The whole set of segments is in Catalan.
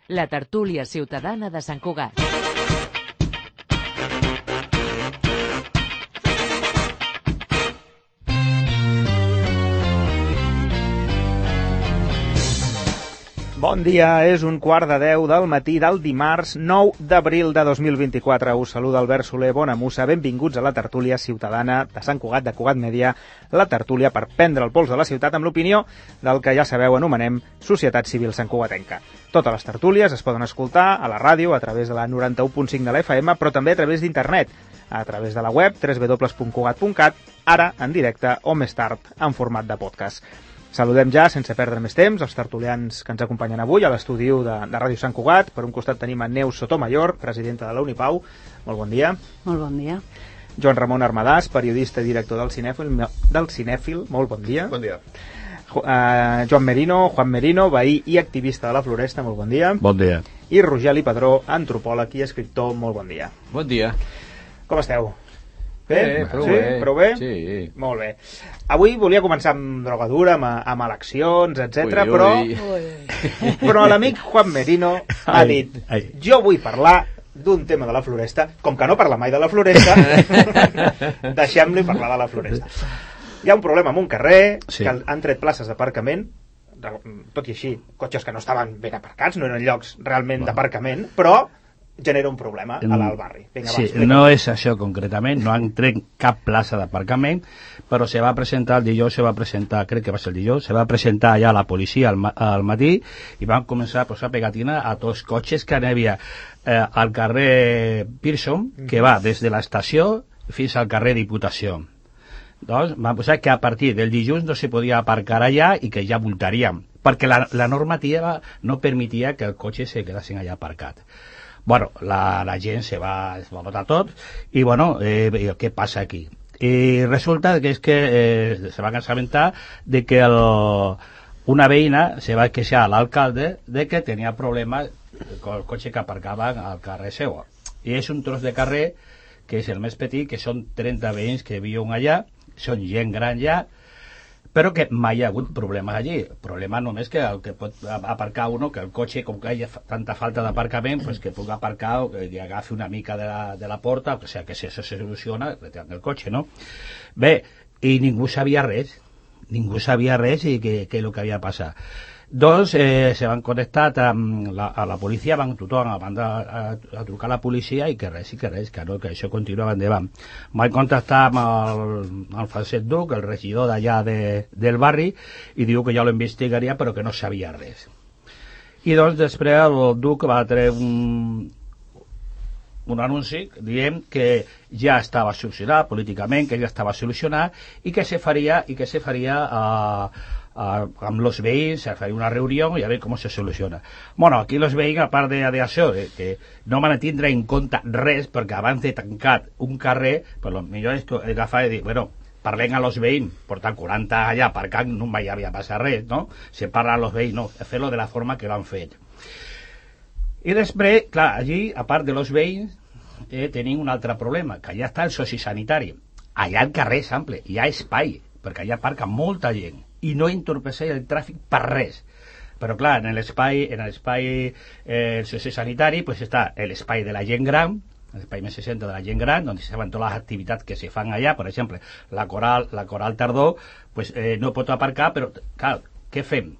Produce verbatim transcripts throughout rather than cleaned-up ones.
la tertúlia ciutadana de Sant Cugat. Bon dia, és un quart de deu del matí del dimarts nou d'abril de dos mil vint-i-quatre. Us saluda Albert Soler Bonamussa. Benvinguts a la tertúlia ciutadana de Sant Cugat, de Cugat Mèdia, la tertúlia per prendre el pols de la ciutat amb l'opinió del que ja sabeu anomenem Societat Civil Santcugatenca. Totes les tertúlies es poden escoltar a la ràdio a través de la noranta-u punt cinc de la F M, però també a través d'internet, a través de la web w w w punt cugat punt cat, ara en directe o més tard en format de podcast. Saludem ja, sense perdre més temps, els tertulians que ens acompanyen avui a l'estudi de, de Ràdio Sant Cugat. Per un costat tenim a Neus Sotomayor, presidenta de la Unipau. Molt bon dia. Molt bon dia. Joan Ramon Armadàs, periodista i director del Cinèfil. Del Cinèfil. Molt bon dia. Bon dia. Uh, Joan Merino, Juan Merino, veí i activista de la Floresta. Molt bon dia. Bon dia. I Rogeli Padró, antropòleg i escriptor. Molt bon dia. Bon dia. Com esteu? Bé? Bé, prou sí? bé. Prou bé? Sí. Molt bé. Avui volia començar amb drogadura, amb, amb eleccions, etcètera, però, però l'amic Juan Merino ha dit, ai, ai. jo vull parlar d'un tema de la Floresta, com que no parla mai de la Floresta, deixem-li parlar de la Floresta. Hi ha un problema en un carrer, sí. que han tret places d'aparcament, tot i així, cotxes que no estaven ben aparcats, no eren llocs realment bueno. d'aparcament, però genera un problema a l'alt barri. Vinga, sí, va, no és això concretament, no han tret cap plaça d'aparcament, però se va presentar el dijous, se va presentar, crec que va ser el dijous, se va presentar allà la policia al, al matí i van començar a posar pegatina a tots els cotxes que hi havia eh, al carrer Pearson, que va des de l'estació fins al carrer Diputació. Doncs van posar que a partir del dijous no se podia aparcar allà i que ja multaríem, perquè la, la normativa no permetia que el cotxe se quedassin allà aparcat. Bueno, la, la gent se va, es va botar tot i bueno, eh, què passa aquí? I resulta que és que eh, se va assabentar de que el, una veïna se va queixar a l'alcalde de que tenia problemes con el cotxe que aparcava al carrer seu. I és un tros de carrer que és el més petit, que són trenta veïns que viuen allà, són gent gran ja, però que mai hi ha hagut problemes allí. Problema només que el que pot aparcar uno, que el cotxe, com que hi ha tanta falta d'aparcament, pues que pugui aparcar o que agafi una mica de la, de la porta, o sigui que si això se soluciona, retirant el cotxe, no? Bé, i ningú sabia res, ningú sabia res i què és el que havia passat. Doncs eh, se van connectar amb la, a la policia, van tothom a, a, a trucar a la policia i que res, i que res, que, no, que això continuava endavant. Van contactar amb el, el Francesc Duc, el regidor d'allà de, del barri, i diu que ja lo investigaria però que no sabia res. I doncs després el Duc va treure un, un anunci dient que ja estava solucionat políticament, que ja estava solucionat i que se faria, i que se faria a Uh, amb els veïns, se faria una reunió i a veure com se soluciona. Bueno, aquí els veïns, a part d'això, de, que no van a tindre en compte res, perquè abans de tancar un carrer, però el millor és agafar i dir, bueno, parlem a los veïns, portant quaranta allà aparcant, no mai havia passat res, no? Se parla a los veïns, no, fer-lo de la forma que l'han fet. I després, clar, allí, a part de los veïns, eh, tenim un altre problema, que allà està el sociosanitari. Allà al carrer és ample, hi ha espai, perquè allà aparca molta gent, i no entorpeceix el tràfic per res. Però clar, en l'espai en l'espai eh, sociosanitari pues està l'espai de la gent gran, l'espai més seixanta de la gent gran, on se fan totes les activitats que se fan allà, per exemple, la coral, la coral tardor, pues, eh, no pot aparcar, però clar, què fem?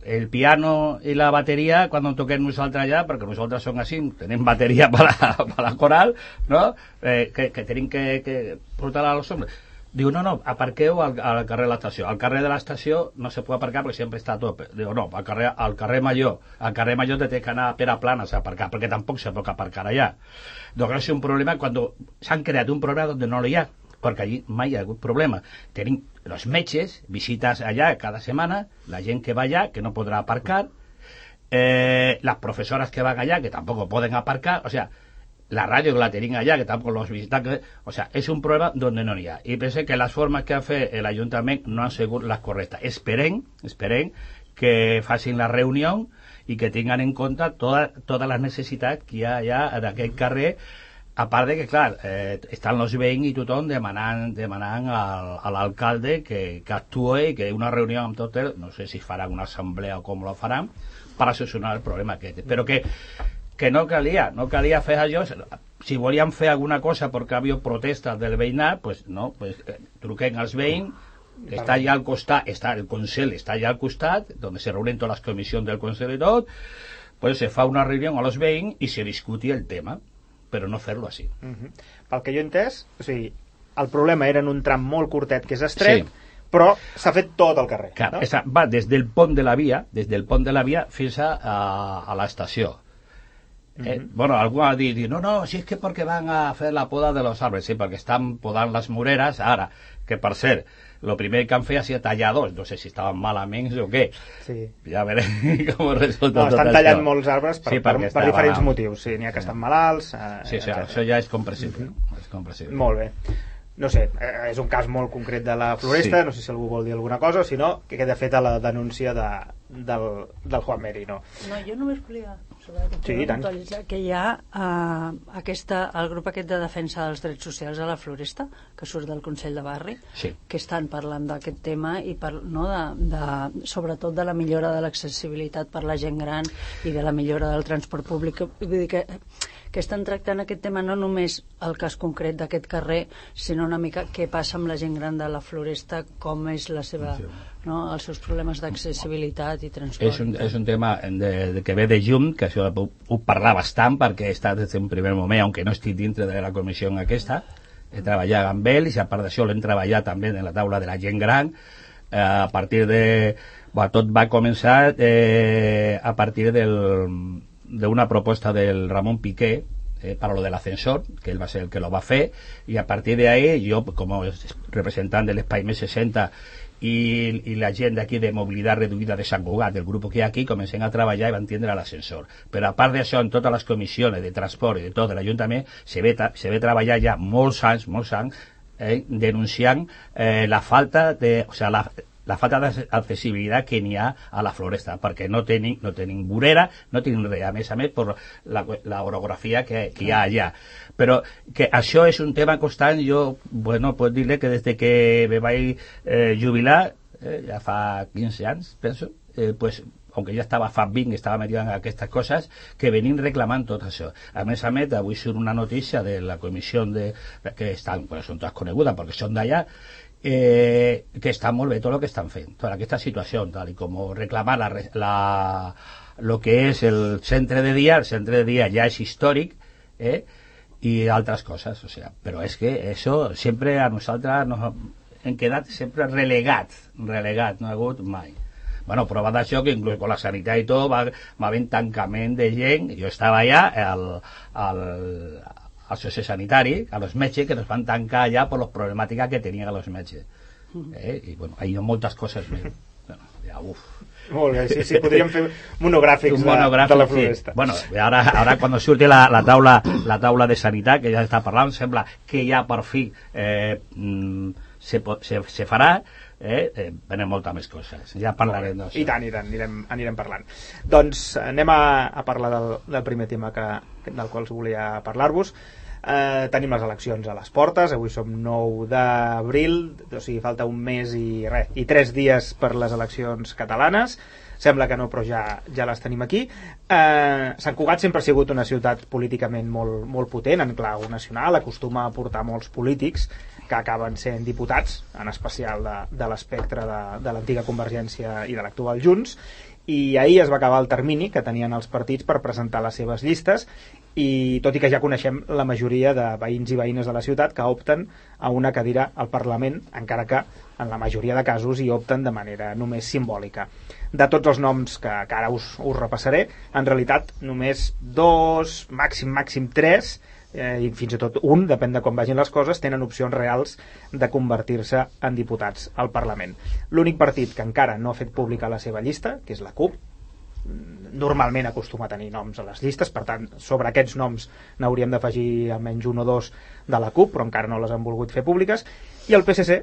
El piano i la bateria quan toquem nosaltres allà, perquè nosaltres som així, tenim bateria per la, per la coral, no? Eh, que, que tenim que, que portar a los hombres. Diu, no, no, aparqueu al, al carrer de l'estació. Al carrer de l'estació no se pot aparcar perquè sempre està a tope. Diu, no, al carrer, al carrer Major. Al carrer Major te té que anar per a planes a aparcar, perquè tampoc se pot aparcar allà. Doncs és un problema quan s'han creat un problema on no hi ha, perquè allí mai hi ha hagut problema. Tenim els metges, visites allà cada setmana, la gent que va allà, que no podrà aparcar, eh, les professores que van allà, que tampoc poden aparcar, o sigui, la ràdio que la tenim allà, que tampoc los visitan, que, o sea, és un problema donde no n'hi ha. I penso que les formes que ha fet l'Ajuntament no han sigut les correctes. Esperem, esperem que facin la reunió i que tinguin en compte totes toda les necessitats que hi ha allà en aquest carrer, a part de que, clar, eh, estan els veïns i tothom demanant, demanant al, a l'alcalde que, que actuï i que una reunió amb tot el, no sé si faran una assemblea o com la faran, per a solucionar el problema aquest. Però que, que no calia, no calia fer allò. Si volíem fer alguna cosa perquè havia protestes del veïnat, pues no, pues, eh, truquen als veïns, que està allà al costat, està el Consell està allà al costat, on se reúnen totes les comissions del Consell i tot, pues se fa una reunió amb els veïns i se discuti el tema, però no fer-lo així. Uh-huh. Pel que jo he entès, o sigui, el problema era en un tram molt curtet que és estret, sí, però s'ha fet tot el carrer. Clar, no? esa, va des del pont de la via, des del pont de la via fins a, a, a l'estació. Eh, uh-huh. Bueno, algú ha dit, no, no, si és que perquè van a fer la poda de los árboles, sí, perquè estan podant les moreres ara, que per cert, lo primer que han fet ha sigut tallar dos, no sé si estaven malament o què, sí. Ja veurem com resulta. No, estan tot tallant això. Molts arbres per, sí, per, per diferents mal. motius, sí, n'hi ha que estan malalts, eh, sí, sí, això ja és comprensible, uh-huh. és comprensible. Molt bé. No sé, és un cas molt concret de la Floresta, sí. No sé si algú vol dir alguna cosa, o si no, que queda feta la denúncia de, del, del Juan Meri, no? No, jo només volia sobre sí, que hi ha uh, aquesta, el grup aquest de defensa dels drets socials a la Floresta, que surt del Consell de Barri, sí. que estan parlant d'aquest tema i per, no, de, de, sobretot de la millora de l'accessibilitat per la gent gran i de la millora del transport públic. Vull dir que que estan tractant aquest tema no només el cas concret d'aquest carrer, sinó una mica què passa amb la gent gran de la Floresta, com és la seva, no, els seus problemes d'accessibilitat i transport. És un, és un tema de, de, que ve de llum, que això ho, ho parlar bastant, perquè he estat des d'un primer moment, aunque no estic dintre de la comissió aquesta, he treballat amb ell, i a part d'això l'hem treballat també en la taula de la gent gran, eh, a partir de... Bueno, tot va començar eh, a partir del... de una propuesta del Ramón Piqué eh, para lo del ascensor, que él va a ser el que lo va a hacer, y a partir de ahí yo como representante del Espai M sesenta y, y la gent d'aquí de mobilitat reduïda de Sant Cugat, del grup que hi ha aquí, comencem a treballar i van tindre l'ascensor. Però a part d'això, en totes les comissions de transport i de tot de l'Ajuntament, se ve, se ve treballar ja molts anys, molts anys, eh, denunciant eh, la falta de... O sea, la, la falta d'accessibilitat que n'hi ha a la Floresta, perquè no tenim, no tenim vorera, no tenim res, a més a més per la, la orografia que, que hi ha allà. Però que això és un tema constant. Jo, bueno, puc dir-li que des que me vaig eh, jubilar, eh, ja fa quinze anys, penso, eh, pues, aunque ja estava fa vint, estava metido en aquestes coses, que venim reclamant tot això. A més a més, avui surt una notícia de la comissió de, que estan, bueno, són totes conegudes perquè són d'allà, Eh, que està molt bé tot el que estan fent, tota aquesta situació, tal i com reclamar la, la, lo que és el centre de dia. El centre de dia ja és històric, eh, i altres coses, o sea, però és que això sempre a nosaltres nos hem quedat sempre relegats, relegats, no ha hagut mai. Bueno, prova d'això que inclús con la sanitat i tot va, va haver tancament de gent. Jo estava allà al, al al sociosanitari, a los metges, que nos van tancar allà per les problemàtiques que tenien a los metges. Eh? I bueno, hi ha moltes coses més. Bueno, ja, uf. Molt bé, sí, sí, podríem fer monogràfics, un monogràfic, de, de la Floresta. Sí. Bueno, ara, ara quan surti la, la, taula, la taula de sanitat, que ja està parlant, sembla que ja per fi eh, se, se, se farà, eh, eh, venen moltes més coses. Ja parlarem d'això. I tant, i tant, anirem, anirem parlant. Doncs anem a, a parlar del, del primer tema que, del qual volia parlar-vos. Eh, tenim les eleccions a les portes, avui som nou d'abril, o sigui, falta un mes i res, i tres dies per les eleccions catalanes. Sembla que no, però ja, ja les tenim aquí. Eh, Sant Cugat sempre ha sigut una ciutat políticament molt, molt potent, en clau nacional, acostuma a portar molts polítics que acaben sent diputats, en especial de, de l'espectre de, de l'antiga Convergència i de l'actual Junts, i ahir es va acabar el termini que tenien els partits per presentar les seves llistes, i tot i que ja coneixem la majoria de veïns i veïnes de la ciutat que opten a una cadira al Parlament, encara que en la majoria de casos hi opten de manera només simbòlica. De tots els noms que, que ara us, us repassaré, en realitat només dos, màxim, màxim tres, eh, i fins i tot un, depèn de com vagin les coses, tenen opcions reals de convertir-se en diputats al Parlament. L'únic partit que encara no ha fet pública la seva llista, que és la CUP, normalment acostuma a tenir noms a les llistes, per tant, sobre aquests noms n'hauríem d'afegir almenys un o dos de la CUP, però encara no les han volgut fer públiques, i el P S C,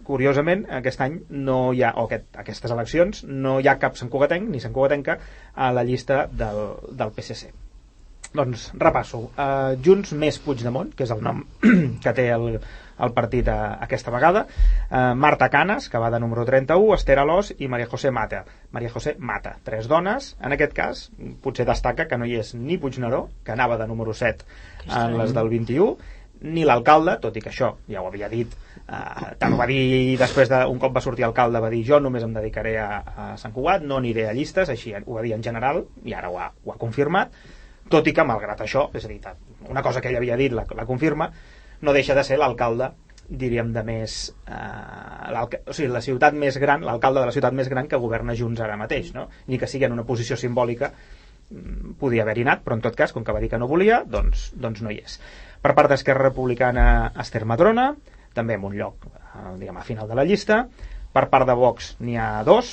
curiosament, aquest any no hi ha, o aquest, aquestes eleccions, no hi ha cap santcugatenc ni santcugatenca a la llista del, del P S C. Doncs repasso. Uh, Junts més Puigdemont, que és el nom que té el, el partit a, aquesta vegada. Eh, Marta Canes, que va de número trenta-u, Esther Alòs i Maria José Mata. Maria José Mata, tres dones. En aquest cas, potser destaca que no hi és ni Puigneró, que anava de número set en les del vint-i-u, ni l'alcalde, tot i que això ja ho havia dit, eh, tant ho va dir després d'un cop va sortir alcalde, va dir jo només em dedicaré a, a Sant Cugat, no aniré a llistes, així ho va dir en general, i ara ho ha, ho ha confirmat, tot i que malgrat això, és a dir, una cosa que ell havia dit la, la confirma, no deixa de ser l'alcalde, diríem, de més eh, o sigui, la ciutat més gran, l'alcalde de la ciutat més gran que governa Junts ara mateix, no? Ni que sigui en una posició simbòlica podia haver-hi anat, però en tot cas, com que va dir que no volia, doncs, doncs no hi és. Per part d'Esquerra Republicana, Esther Madrona, també en un lloc, eh, diguem, a final de la llista. Per part de Vox n'hi ha dos,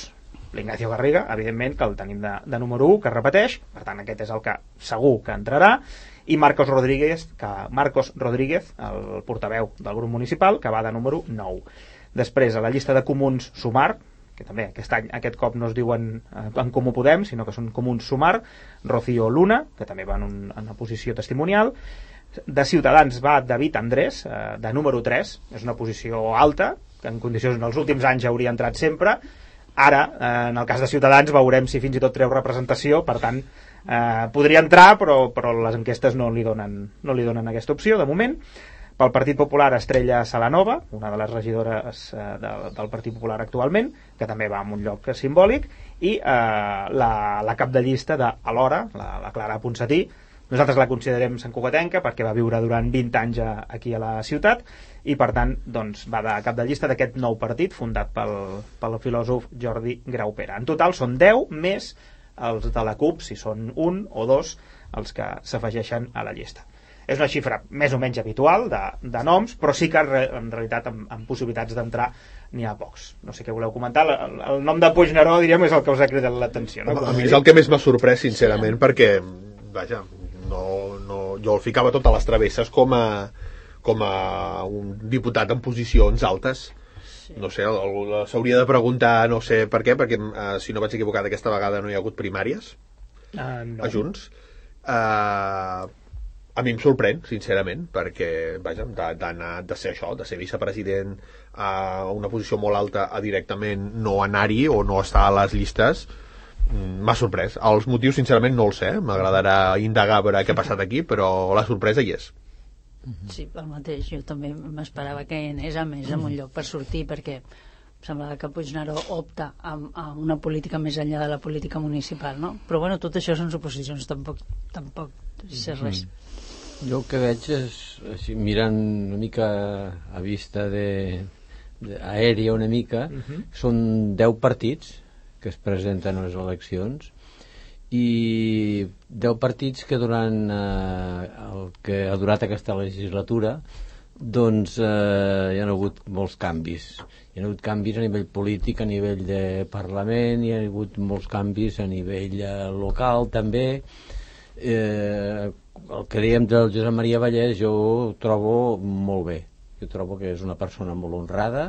l'Ignacio Garriga, evidentment, que el tenim de, de número u, que repeteix, per tant aquest és el que segur que entrarà, i Marcos Rodríguez, que, Marcos Rodríguez, el portaveu del grup municipal, que va de número nou. Després, a la llista de comuns Sumar, que també aquest any, aquest cop no es diuen en Comú Podem, sinó que són comuns Sumar, Rocío Luna, que també va en, un, en una posició testimonial. De Ciutadans va David Andrés, eh, de número tres, és una posició alta, que en condicions en els últims anys hauria entrat sempre. Ara, eh, en el cas de Ciutadans, veurem si fins i tot treu representació, per tant, eh, podria entrar, però, però les enquestes no li, donen, no li donen aquesta opció, de moment. Pel Partit Popular, Estrella Salanova, una de les regidores eh, de, del Partit Popular actualment, que també va en un lloc simbòlic, i eh, la, la cap de llista de Alhora, la, la Clara Ponsatí. Nosaltres la considerem santcugatenca perquè va viure durant vint anys a, aquí a la ciutat i per tant doncs, va de cap de llista d'aquest nou partit fundat pel, pel filòsof Jordi Graupera. En total són deu més els de la CUP, si són un o dos els que s'afegeixen a la llista. És una xifra més o menys habitual de, de noms, però sí que en realitat amb, amb possibilitats d'entrar n'hi ha pocs. No sé què voleu comentar. El, el nom de Puigneró, diríem, és el que us ha cridat l'atenció. No? A mi és el que més m'ha sorprès, sincerament, sí. perquè, vaja, no, no, jo el ficava tot a les travesses com a, com a un diputat en posicions altes. Sí. No sé, s'hauria de preguntar, no sé per què, perquè eh, si no vaig equivocat aquesta vegada no hi ha hagut primàries uh, no. a Junts. Eh... A mi em sorprèn, sincerament, perquè, vaja, d'anar, de ser això, de ser vicepresident a una posició molt alta a directament no anar-hi o no estar a les llistes, m'ha sorprès. Els motius, sincerament, no els sé. M'agradarà indagar a veure què ha passat aquí, però la sorpresa hi és. Sí, el mateix. Jo també m'esperava que hi anés a més en un lloc per sortir, perquè semblava que Puigneró opta a, a una política més enllà de la política municipal, no? Però bueno, tot això són suposicions, tampoc, tampoc sé res. Mm. Jo el que veig és, així, mirant una mica a vista de, de aèria una mica, uh-huh. són deu partits que es presenten a les eleccions i deu partits que durant eh, el que ha durat aquesta legislatura doncs eh, hi ha hagut molts canvis. Hi ha hagut canvis a nivell polític, a nivell de Parlament, hi ha hagut molts canvis a nivell eh, local també. Eh, el que dèiem del Josep Maria Vallès jo ho trobo molt bé. Jo trobo que és una persona molt honrada,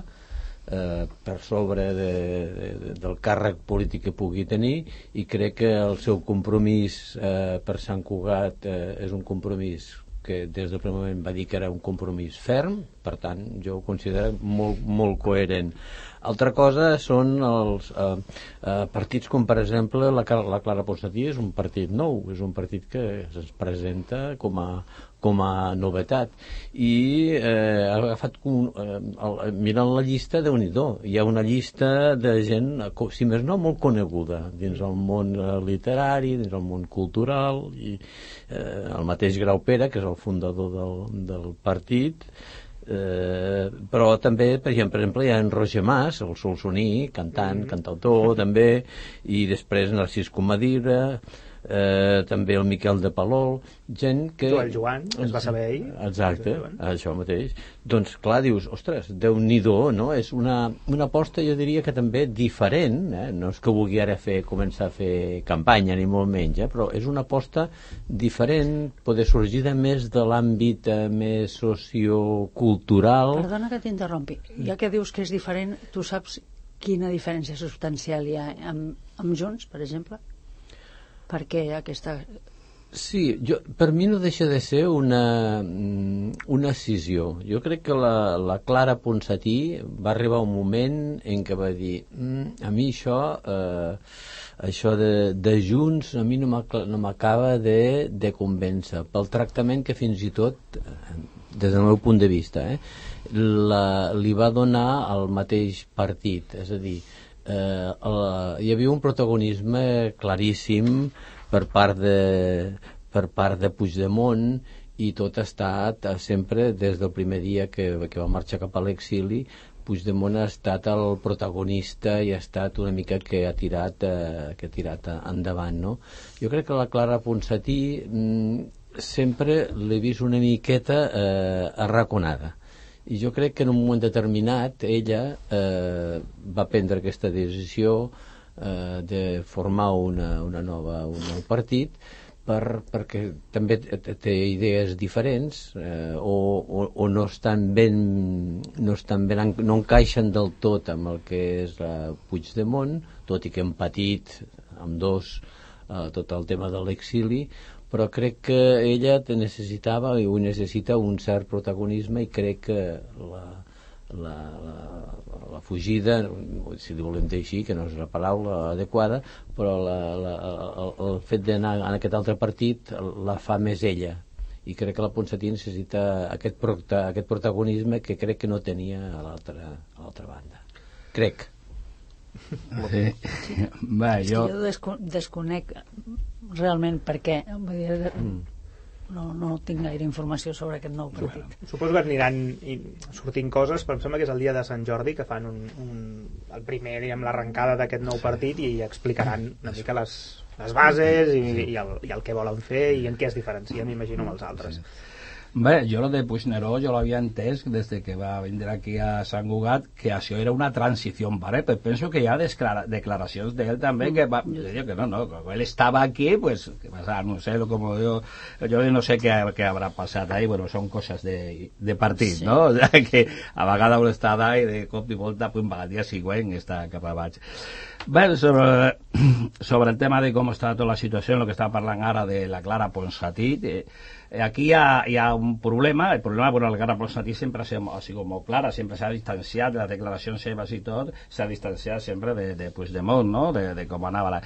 eh, per sobre de, de, del càrrec polític que pugui tenir, i crec que el seu compromís eh, per Sant Cugat eh, és un compromís que des del primer moment va dir que era un compromís ferm, per tant jo ho considero molt, molt coherent. Altra cosa són els eh, eh, partits com per exemple la, la Clara Ponsatí és un partit nou, és un partit que es presenta com a, com a novetat i eh, ha agafat un, eh, el, mirant la llista, Déu-n'hi-do, hi ha una llista de gent, si més no, molt coneguda dins el món literari, dins el món cultural, i eh, el mateix Graupera, que és el fundador del, del partit. Eh, però també, per exemple, hi ha en Roger Mas, el solsoní, cantant, cantautor també, i després Narcís Comadira, eh, també el Miquel de Palol, gent que... Joel Joan, es va saber ahir. Exacte, això mateix. Doncs clar, dius, ostres, Déu-n'hi-do, no? És una, una aposta, jo diria que també diferent, eh? No és que vulgui ara fer, començar a fer campanya, ni molt menys, eh? Però és una aposta diferent, poder sorgir de més de l'àmbit eh, més sociocultural. Perdona que t'interrompi, ja que dius que és diferent, tu saps quina diferència substancial hi ha amb, amb Junts, per exemple? Perquè aquesta Sí, jo, per mi no deixa de ser una, una escissió. Jo crec que la, la Clara Ponsatí va arribar un moment en què va dir mm, a mi això eh, això de, de Junts a mi no m'acaba de, de convèncer pel tractament que fins i tot des del meu punt de vista eh, la, li va donar al mateix partit, és a dir eh, la, hi havia un protagonisme claríssim per part de, per part de Puigdemont i tot ha estat sempre des del primer dia que, que va marxar cap a l'exili. Puigdemont ha estat el protagonista i ha estat una mica que ha tirat, eh, que ha tirat endavant, no? Jo crec que la Clara Ponsatí mm, sempre l'he vist una miqueta eh, arraconada i jo crec que en un moment determinat ella eh, va prendre aquesta decisió eh, de formar una, una nova, un nou partit per, perquè també té idees diferents eh, o, o, o no estan ben no estan ben, no encaixen del tot amb el que és la Puigdemont, tot i que hem patit amb dos eh, tot el tema de l'exili, però crec que ella necessitava i ho necessita un cert protagonisme i crec que la La, la, la fugida, si li volem dir així, que no és la paraula adequada, però la, la, el, el fet d'anar en aquest altre partit la fa més ella i crec que la Ponsatí necessita aquest, prota, aquest protagonisme que crec que no tenia a l'altra, a l'altra banda, crec. Sí. Va, jo... jo desco desconec realment per què vull dir, mm. No, no tinc gaire informació sobre aquest nou partit. Bueno, suposo que aniran sortint coses, però em sembla que és el dia de Sant Jordi que fan un, un, el primer, diguem, l'arrencada d'aquest nou partit i explicaran una mica les, les bases i, i, el, i el que volen fer i en què es diferencia, m'imagino, amb els altres. Sí. Bé, jo lo de Puigneró jo l'havia entès des de que va vindre aquí a Sant Cugat que això era una transició, ¿vale? Però penso que hi ha declaracions d'ell també que va, jo que no, no, que ell estava aquí, pues, que pasa, no sé, como yo, yo no sé què, què habrà passat ahí, bueno, són coses de, de partit, sí. No? O sea, que a vegades vol estar allà i de cop i volta, pues, el dia següent està cap a baix. Bé, sobre, sobre el tema de com està tota la situació, el que està parlant ara de la Clara Ponsatí, eh, aquí hi ha, hi ha un problema. El problema, bueno, la Clara Ponsatí sempre ha sigut molt clara, sempre s'ha distanciat de les declaracions seves i tot, s'ha distanciat sempre de, de Puigdemont, no? De, de com anava la...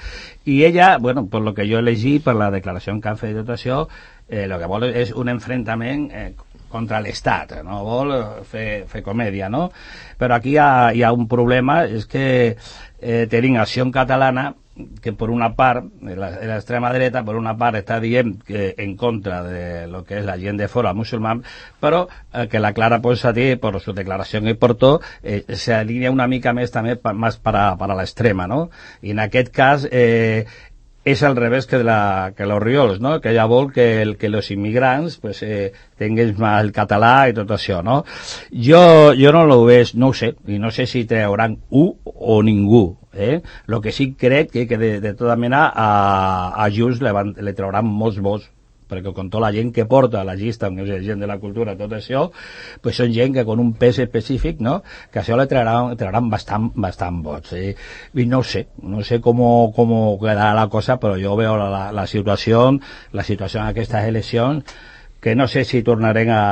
I ella, bueno, per lo que jo he llegit, per la declaració que han fet de tot això, eh, lo que vol és un enfrontament eh, contra l'Estat, no vol fer, fer comèdia, no? Però aquí hi ha, hi ha un problema, és que eh, tenim Acció Catalana, que per una part, l'extrema dreta, per una part està dient que en contra de lo que és la gent de fora musulmán, però eh, que la Clara Ponsatí, per su declaración que portó, eh, se alinea una mica més també pa, més para, para l'extrema, no? I en aquest cas eh, és al revés que, de la, que los Riols, no? Que ella vol que, el, que los immigrants pues, eh, tinguin el català i tot això, no? Jo, jo no lo veig, no ho sé, i no sé si trauran u o ningú, eh? Lo que sí crec que, que de, de tota mena a, a Junts le, van, le trauran molts vots, perquè con tota la gent que porta la llista, que és gent de la cultura, tot això, pues són gent que con un pes específic, no? Que això le trauran, trauran bastant, bastant vots. Eh? I no sé, no sé com, com quedarà la cosa, però jo veo la, la, la situació, la situació en aquestes eleccions, que no sé si tornarem a,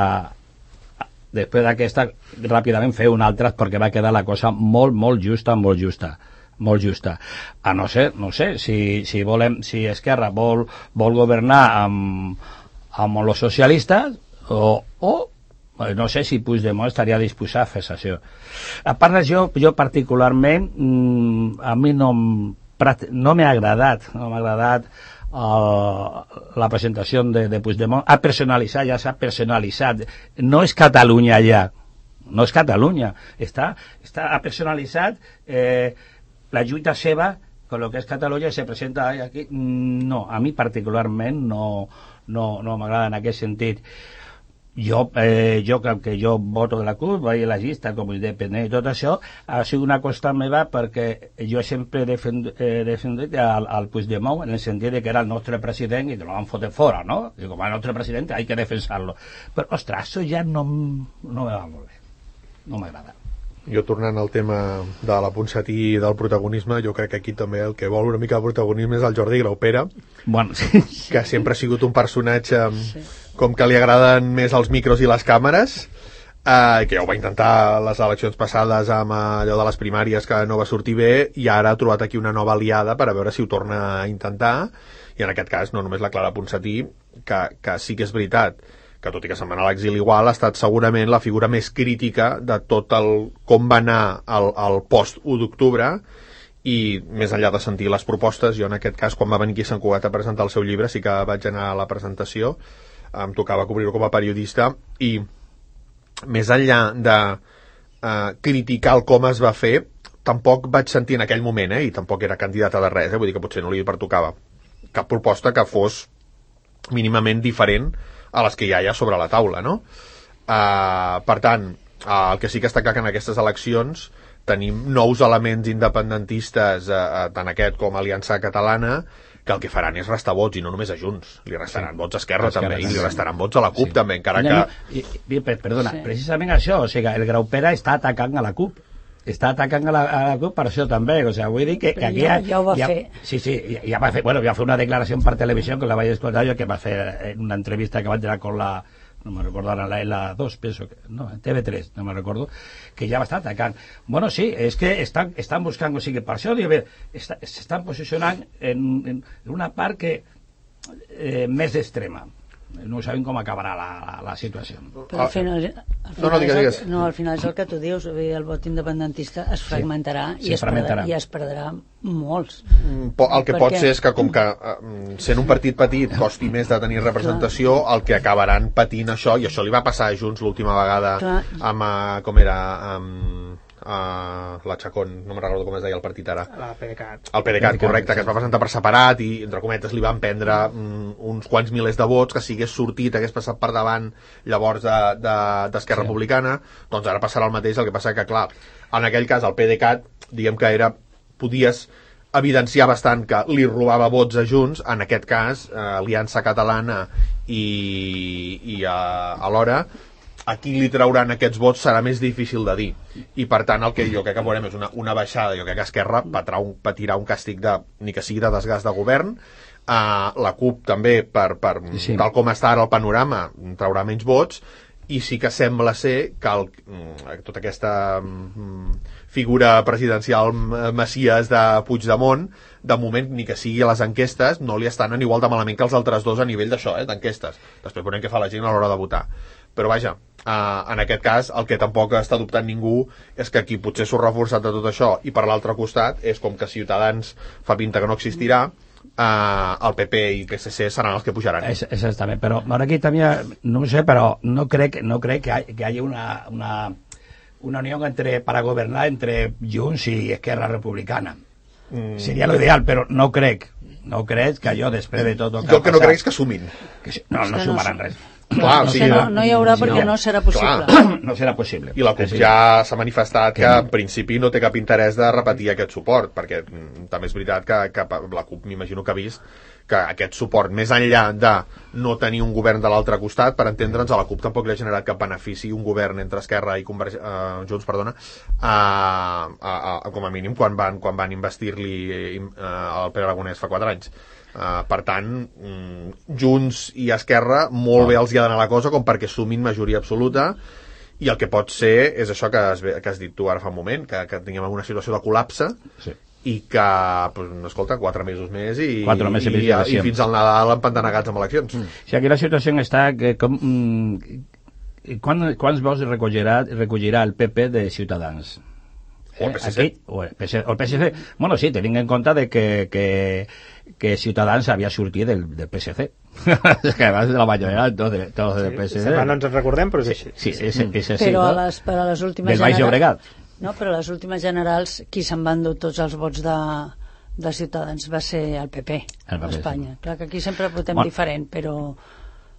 a després d'aquesta, ràpidament fer una altra, perquè va quedar la cosa molt, molt justa, molt justa. molt justa, a no ser, no sé, si, si volem, si Esquerra vol, vol governar amb, amb els socialistes o, o no sé si Puigdemont estaria disposat a fer això. A part d'això, jo particularment mmm, a mi no no m'ha agradat no m'ha agradat uh, la presentació de, de Puigdemont. Ha personalitzat, ja s'ha personalitzat, no és Catalunya ja, no és Catalunya, està, està ha personalitzat eh, la lluita seva con lo que és Catalunya i se presenta aquí. No, a mi particularment no, no, no m'agrada en aquest sentit. Jo, eh, jo que jo voto de la CUP, vaig a la llista com a independent i tot això, ha sigut una cosa meva perquè jo sempre he defendit, eh, defendit al, al Puigdemont en el sentit de que era el nostre president i que lo van fotre fora, no? I com a nostre president hay que defensar-lo. Però, ostres, això ja no, no me va molt bé. No m'agrada. Jo tornant al tema de la Ponsatí i del protagonisme, jo crec que aquí també el que vol una mica de protagonisme és el Jordi Graupera, bueno, sí. que sempre ha sigut un personatge sí. com que li agraden més els micros i les càmeres, eh, que ja ho va intentar les eleccions passades amb allò de les primàries que no va sortir bé, i ara ha trobat aquí una nova aliada per a veure si ho torna a intentar, i en aquest cas no només la Clara Ponsatí, que, que sí que és veritat que tot i que se'n va anar a l'exili igual, ha estat segurament la figura més crítica de tot el com va anar el, el post u d'octubre, i més enllà de sentir les propostes, jo en aquest cas, quan va venir aquí a Sant Cugat a presentar el seu llibre, sí que vaig anar a la presentació, em tocava cobrir-ho com a periodista, i més enllà de eh, criticar el com es va fer, tampoc vaig sentir en aquell moment, eh, i tampoc era candidata de res, eh, vull dir que potser no li pertocava cap proposta que fos mínimament diferent a les que ja hi ha sobre la taula, no? Uh, per tant, uh, el que sí que està clar que en aquestes eleccions tenim nous elements independentistes, uh, tant aquest com Aliança Catalana, que el que faran és restar vots, i no només a Junts, li restaran sí. vots a Esquerra, Esquerra també, i li restaran vots a la CUP sí. també, encara que... No, i, i, perdona, sí. precisament això, o sigui, el Graupera està atacant a la CUP, està atacant a la, a la CUP per això també, o sigui, vull dir que, que aquí ja, ja ho va ja, fer sí, sí, ja, ja va fer, bueno, va fer una declaració per televisió que la vaig escoltar jo, que va fer en una entrevista que vaig anar con la, no me recordo ara, la L dos, penso que, no, en T V tres, no me recordo, que ja va estar atacant. Bueno, sí, és que estan, estan buscant, o sigui, per això, dic, s'estan posicionant en, en una part que eh, més extrema. No sabem com acabarà la, la, la situació. Però al final, al final, no, no, digues, digues. El, no, al final és el que tu dius, el vot independentista es fragmentarà, sí, i, es fragmentarà. Perdrà, i es perdrà molts. El que Perquè... pot ser és que, com que sent un partit petit costi més de tenir representació, el que acabaran patint això, i això li va passar a Junts l'última vegada Clar. amb, com era... Amb... Uh, la Chacón, no me'n recordo com es deia el partit ara, la PDeCAT, el PDeCAT, correcte, que es va presentar per separat i entre cometes li van prendre mm, uns quants milers de vots, que si hagués sortit hagués passat per davant llavors d'Esquerra de, de, sí. Republicana, doncs ara passarà el mateix, el que passa que clar, en aquell cas el PDeCAT, diguem que era, podies evidenciar bastant que li robava vots a Junts, en aquest cas eh, Aliança Catalana i, i a, alhora a qui li trauran aquests vots serà més difícil de dir, i per tant el que jo crec que veurem és una, una baixada. Jo crec que Esquerra patirà un, patirà un càstig de, ni que sigui de desgast de govern, uh, la CUP també per, per sí. tal com està ara el panorama traurà menys vots, i sí que sembla ser que el, tota aquesta mm, figura presidencial Messies de Puigdemont, de moment, ni que sigui a les enquestes, no li estan en igual de malament que els altres dos a nivell d'això, eh, d'enquestes. Després veurem què fa la gent a l'hora de votar. Però vaja, Uh, en aquest cas el que tampoc està dubtant ningú és que qui potser s'ho reforçat de tot això, i per l'altre costat és com que Ciutadans fa pinta que no existirà, uh, el P P i P S C seran els que pujaran. Es, exactament, però ara aquí també no sé, però no crec, no crec que, hi, que hagi una, una, una unió entre, para governar entre Junts i Esquerra Republicana. Mm. Seria l'ideal, però no crec no crec que allò després de tot el que jo el que no crec és que sumin, que, no, no sumaran res. Clar, no, o sigui, no, no hi haurà perquè no, no serà possible. Clar. No serà possible. I la CUP ja s'ha manifestat que, que en principi no té cap interès de repetir aquest suport, perquè mm, també és veritat que, que la CUP m'imagino que ha vist que aquest suport, més enllà de no tenir un govern de l'altre costat, per entendre'ns, a la CUP tampoc li ha generat cap benefici un govern entre Esquerra i Converg... uh, Junts, perdona, uh, uh, uh, com a mínim quan van, quan van investir-li uh, al Pere Aragonès fa quatre anys. Uh, per tant, um, Junts i Esquerra molt bé els hi ha d'anar la cosa com perquè sumin majoria absoluta, i el que pot ser és això que has, que has dit tu ara fa un moment, que, que tinguem una situació de col·lapse, sí. I que, pues, escolta, quatre mesos més i, mesos i, i, i fins al Nadal empantanegats amb eleccions. Mm. Sí, aquí la situació està que com, mm, quan, quants vots recollirà, recollirà el P P de Ciutadans? O el P S C. Aquí, o, el P S C, o el P S C. Bueno, sí, tenint en compte de que, que, que Ciutadans havia sortit del, del P S C. Que abans de la majoria tots de, tot del P S C. Sí, no ens en recordem, però és així. Sí, sí, és, és així. Però no? a les, per a les últimes del Baix Llobregat. No, però a les últimes generals qui se'n van dur tots els vots de, de Ciutadans va ser el P P, el P P a Espanya. Sí. Clar que aquí sempre votem bueno. diferent, però...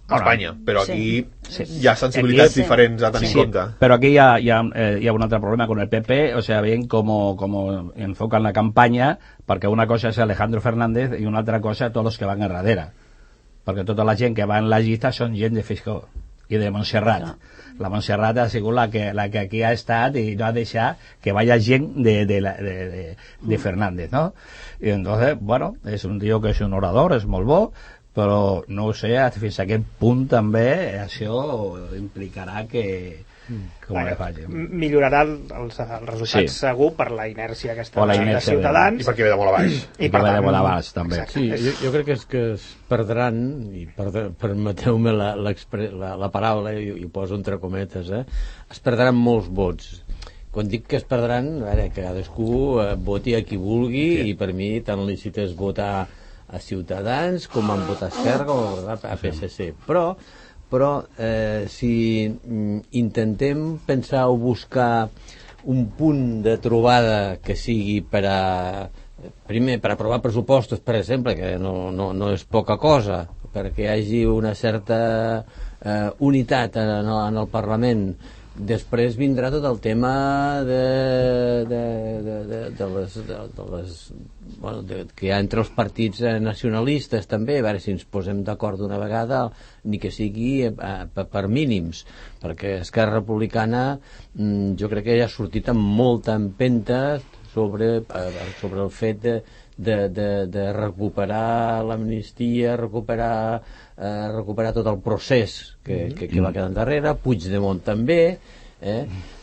A Espanya, però aquí sí. hi ha sensibilitats aquí, diferents a tenir sí, en compte. Però aquí hi ha, hi, ha, eh, hi ha un altre problema con el P P, o sea, ven com, com enfocan la campanya, perquè una cosa és Alejandro Fernández i una altra cosa tots els que van a darrere. Perquè tota la gent que va en la llista són gent de Feijó. i de Montserrat. No. La Montserrat ha sigut la que, la que aquí ha estat i no ha deixat que vaya gent de, de, de, de, de Fernández, ¿no? I entonces, bueno, és un tio que és un orador, és molt bo, però no ho sé fins a quin punt també això implicarà que com bueno, le faci. Millorarà els, els resultats Sí. segur per la inèrcia aquesta O la de inèrcia Ciutadans I perquè ve de molt a baix. I per tant, de baix, també. exacte. Sí, jo, jo crec que és que es perdran, i per, permeteu-me la, la, la paraula, i, i ho poso entre cometes, eh? Es perdran molts vots. Quan dic que es perdran, a veure, que cadascú eh, voti a qui vulgui, sí. I per mi tan lícit és votar a Ciutadans com a votar a Esquerra o a P S C. Però, però eh, si mm, intentem pensar o buscar un punt de trobada que sigui per a primer, per aprovar pressupostos, per exemple, que no, no, no és poca cosa, perquè hi hagi una certa eh, unitat en el, en el Parlament. Després vindrà tot el tema de, de, de, de, de les, de, de les bueno, de, que hi ha entre els partits nacionalistes també, a veure si ens posem d'acord d'una vegada, ni que sigui eh, per, per mínims, perquè Esquerra Republicana mm, jo crec que ja ha sortit amb molta empenta sobre, eh, sobre el fet de De, de, de recuperar l'amnistia, recuperar, eh, recuperar tot el procés que, que, que va quedar endarrere. Puigdemont també, eh?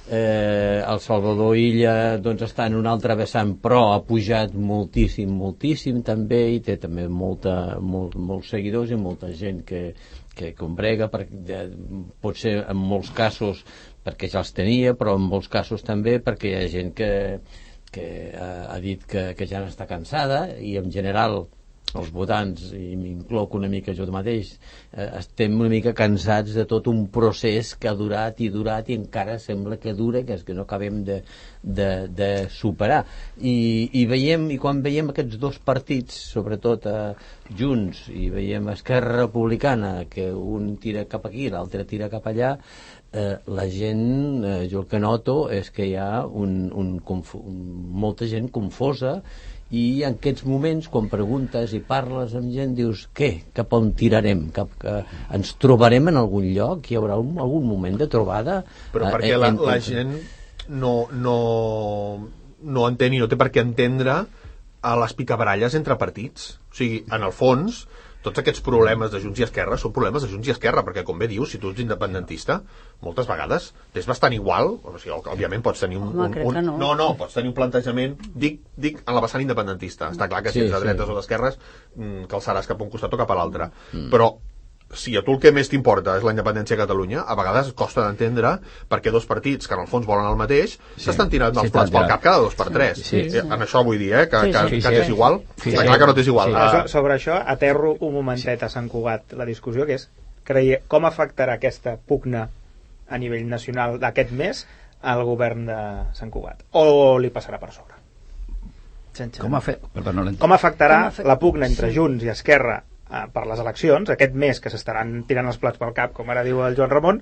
Eh, el Salvador Illa doncs, està en un altre vessant, però ha pujat moltíssim, moltíssim també, i té també molta, molt, molts seguidors i molta gent que, que combrega, perquè, pot ser en molts casos perquè ja els tenia, però en molts casos també perquè hi ha gent que que ha dit que, que ja n'està cansada, i en general els votants, i m'incloc una mica jo mateix, eh, estem una mica cansats de tot un procés que ha durat i durat i encara sembla que dura, que és que no acabem de, de, de superar. I, i veiem, i quan veiem aquests dos partits, sobretot eh, Junts, i veiem Esquerra Republicana, que un tira cap aquí i l'altre tira cap allà, Eh, la gent, eh, jo el que noto és que hi ha un, un, un, molta gent confosa, i en aquests moments quan preguntes i parles amb gent dius què? Cap on tirarem? Cap, que ens trobarem en algun lloc? Hi haurà un, algun moment de trobada? Però eh, perquè la, en, la gent no, no, no entén i no té per què entendre a les picabaralles entre partits. O sigui, en el fons tots aquests problemes de Junts i Esquerra són problemes de Junts i Esquerra, perquè com bé dius, si tu ets independentista, moltes vegades és bastant igual, o sigui, òbviament pots tenir un... Home, un, crec un que no. no, no, pots tenir un plantejament, dic, dic en la vessant independentista. Està clar que si Sí, ets de dretes sí. o d'esquerres, mm, calçaràs cap a un costat o cap a l'altre. Mm. Però si a tu el que més t'importa és la independència de Catalunya, a vegades costa d'entendre perquè dos partits que en el fons volen el mateix s'estan sí, tirant dels sí, plats pel cap cada dos per tres. Sí, sí. En això vull dir, eh, que, Sí, que, sí. que Sí, t'és sí. igual. Sí, Està sí. clar que no t'és igual. Sí. Ah, Això, sobre això, aterro un momentet a Sant Cugat la discussió, que és creie, com afectarà aquesta pugna a nivell nacional d'aquest mes al govern de Sant Cugat? O li passarà per sobre? Sense... Com, ha fet? Perdó, no com afectarà Com afect- la pugna entre sí. Junts i Esquerra eh, per les eleccions, aquest mes que s'estaran tirant els plats pel cap, com ara diu el Joan Ramon,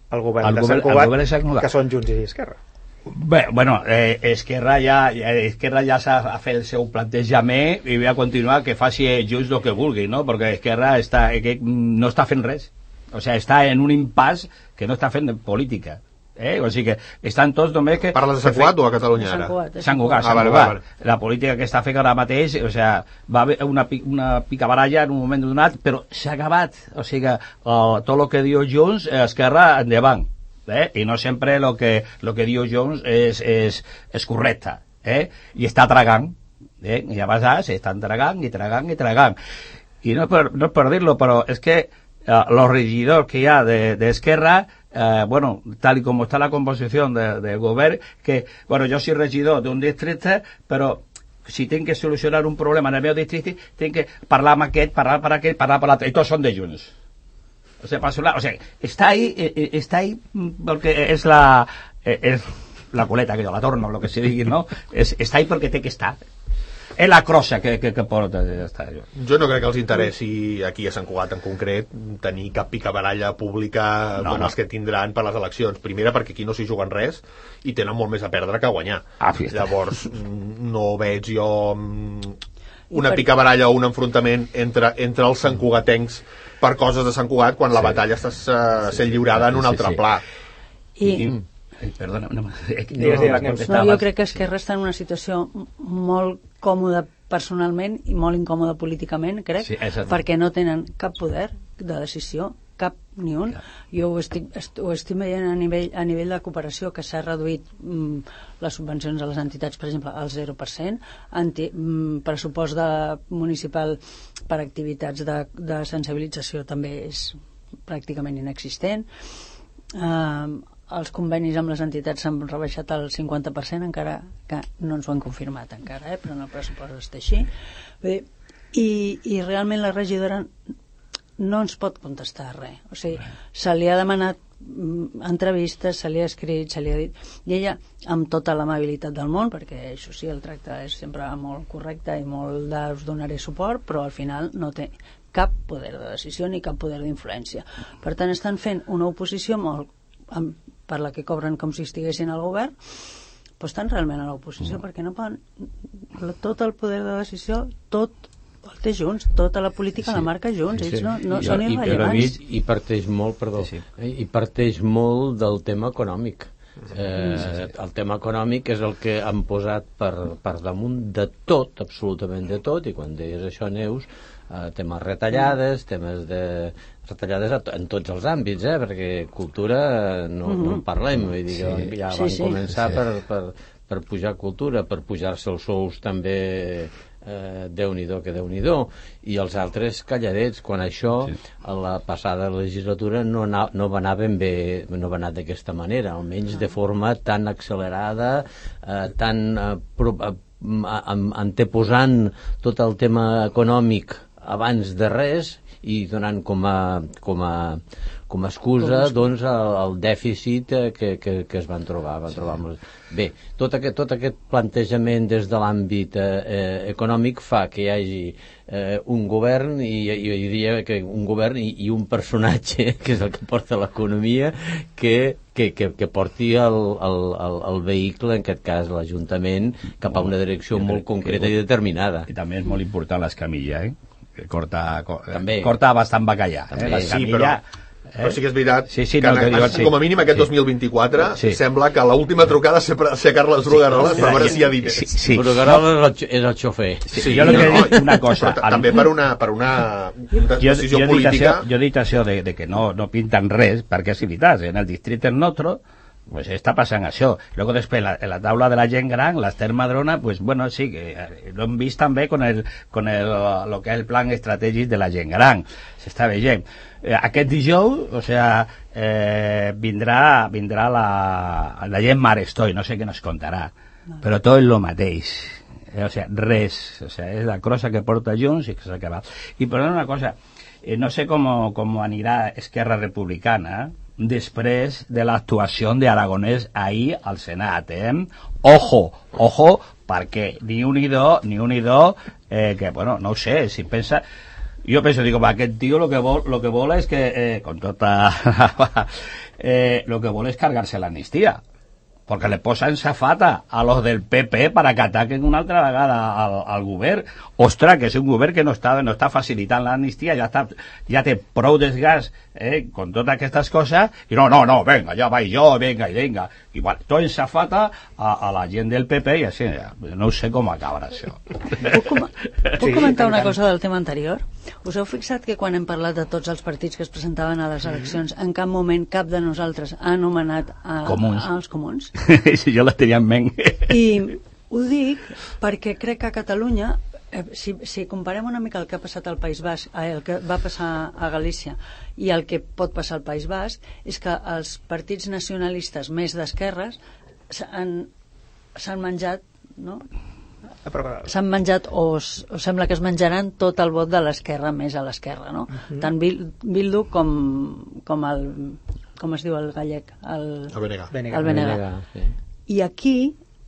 el govern, El de, govern- Sant el Cugat, govern de Sant Cugat. que són Junts i Esquerra? Bé, bueno, eh, Esquerra ja, ja, Esquerra ja s'ha fet el seu plantejament i va continuar que faci Junts el que vulgui, no? Perquè Esquerra està, que no està fent res. O sigui, està en un impàs que no està fent política. Eh? O sigui que estan tots només que... Parles de Sant Cugat o a Catalunya Sant ara? Cugat, eh? Sant Cugat, Ah, Sant vale, Cugat. vale, vale. La política que està fent ara mateix, o sigui, va haver una, pi- una picabaralla en un moment donat, però s'ha acabat. O sigui, uh, tot el que diu Junts, eh, Esquerra, endavant. Eh? I no sempre el que, lo que diu Junts és, és, és correcte. Eh? I està tragant. Eh? I a vegades estan tragant i tragant i tragant. I no és per, no és per dir-lo, però és que uh, los regidors que hi ha d'Esquerra, de, Uh, bueno, tal y como está la composición del de gobierno, que, bueno, yo soy regidor de un distrito, pero si tienen que solucionar un problema en el meu distrito, tienen que parlar amb aquest, parlar per aquest, parlar per l'altre, i tots són de Junts. O sea, para solar, o sea, está ahí, eh, está ahí porque es la, eh, es la coleta, que yo la torno, lo que se diga, ¿no? Es, está ahí porque té que estar. És la crossa que, que, que porta, ja està. Jo. Jo no crec que els interessi aquí a Sant Cugat en concret tenir cap picabaralla pública No, com no. els que tindran per les eleccions. Primera perquè aquí no s'hi juguen res i tenen molt més a perdre que a guanyar. Ah, fiesta. Llavors no veig jo mm, una picabaralla o un enfrontament entre, entre els santcugatencs per coses de Sant Cugat quan la batalla està uh, sent lliurada en un altre pla. I... Ai, perdona, no, no, no, jo crec que Esquerra està en una situació molt còmoda personalment i molt incòmoda políticament, crec, sí, perquè no tenen cap poder de decisió, cap ni un. Clar. Jo ho estic, ho estic veient a nivell, a nivell de cooperació, que s'ha reduït mm, les subvencions a les entitats, per exemple, al zero per cent, anti, mm, pressupost de municipal per activitats de, de sensibilització també és pràcticament inexistent. Uh, els convenis amb les entitats s'han rebaixat al cinquanta per cent, encara que no ens ho han confirmat encara, eh? Però en el pressupost està així. Bé, i, i realment la regidora no ens pot contestar res. O sigui, se li ha demanat entrevistes, se li ha escrit, se li ha dit, i ella, amb tota l'amabilitat del món, perquè això sí, el tracte és sempre molt correcte i molt de us donaré suport, però al final no té cap poder de decisió ni cap poder d'influència. Per tant, estan fent una oposició molt, amb, per la que cobren com si estiguessin al govern, però estan realment a l'oposició, perquè no poden... Tot el poder de decisió, tot el té Junts, tota la política sí, la marca Junts, sí, sí. ells no, no I, són i, irrellevants. I, i parteix molt, perdó, sí, sí. i parteix molt del tema econòmic. Eh, el tema econòmic és el que han posat per, per damunt de tot, absolutament de tot, i quan deies això, Neus, eh, temes retallades, temes de retallades en tots els àmbits, eh, perquè cultura no, no en parlem, vull dir que sí, ja van sí, sí. començar sí. Per, per, per pujar cultura, per pujar-se els sous també, eh, Déu-n'hi-do que Déu-n'hi-do, i els altres calladets, quan això sí. a la passada legislatura no, na, no va anar ben bé, no va anar d'aquesta manera, almenys de forma tan accelerada, eh, tan eh, pro, eh, anteposant tot el tema econòmic abans de res i donant com a, com a, com a excusa doncs, el, el dèficit que, que, que es van trobar. Van trobar amb... Bé, tot aquest, tot aquest plantejament des de l'àmbit eh, econòmic fa que hi hagi eh, un govern i jo diria que un govern i, i un personatge que és el que porta l'economia que, que, que, que porti el, el, el, el vehicle, en aquest cas l'Ajuntament, cap a una direcció jo molt concreta que, i determinada. I també és molt important l'escamilla, eh? Corta, també. corta bastant bacallà. Eh? Sí, però, eh? però sí que és veritat sí, sí, que, no, que, que diu, sí. com a mínim aquest sí. dos mil vint-i-quatre sí. sembla que l'última trucada ser a Carles Brugueroles sí. per veure si hi ha diners. Sí, sí. Brugueroles és el xofer. Sí, sí, jo no, no, una cosa. Però, també per una, per una decisió jo, jo política... Això, jo he dit això de, de que no, no pinten res, perquè és veritat, en el districte nostre pues està passant això. Luego després la, la taula de la gent gran, l'Ester Madrona, pues bueno, sí, que lo hem vist també con el, con el, lo que és el plan estratègic de la gent gran. S'està veient. Eh, aquest dijous, o sea, eh, vindrà, vindrà la, la gent Marestoy, no sé què nos contarà, no. però tot és lo mateix. Eh, o sea, res. O sea, és la crossa que porta Junts i que s'ha acabat. I per una cosa, eh, no sé com, com anirà Esquerra Republicana, eh? després de l'actuació d'Aragonès ahir al Senat, eh? Ojo, ojo, perquè ni un ni dos, ni un ni dos, eh, que, bueno, no ho sé, si pensa... Jo penso, digo, aquest tio lo que vol, lo que vol és que, eh, con tota... eh, lo que vol és cargar-se l'amnistia, perquè le posen safata a los del P P para que ataquen una altra vegada al, al govern. Ostres, que és un govern que no està, no està facilitant l'amnistia, ja, està, ja té prou desgast eh, con totes aquestes coses, i no, no, no, venga, ja vaig jo, venga, i venga. I bueno, tot en safata a, a la gent del P P i així, ja, no sé com acabarà això. Puc, com puc sí, comentar una cosa del tema anterior? Us heu fixat que quan hem parlat de tots els partits que es presentaven a les eleccions, en cap moment cap de nosaltres ha anomenat a, comuns. a, als comuns? Sí, jo la tenia en ment. I ho dic perquè crec que a Catalunya, eh, si, si comparem una mica el que ha passat al País Basc, eh, el que va passar a Galícia i el que pot passar al País Basc, és que els partits nacionalistes més d'esquerres s'han menjat, no? s'han menjat o, o sembla que es menjaran tot el vot de l'esquerra més a l'esquerra, no? Uh-huh. Tant Bildu com, com el com es diu el gallec? El, el Benega. El Benega. Sí. I aquí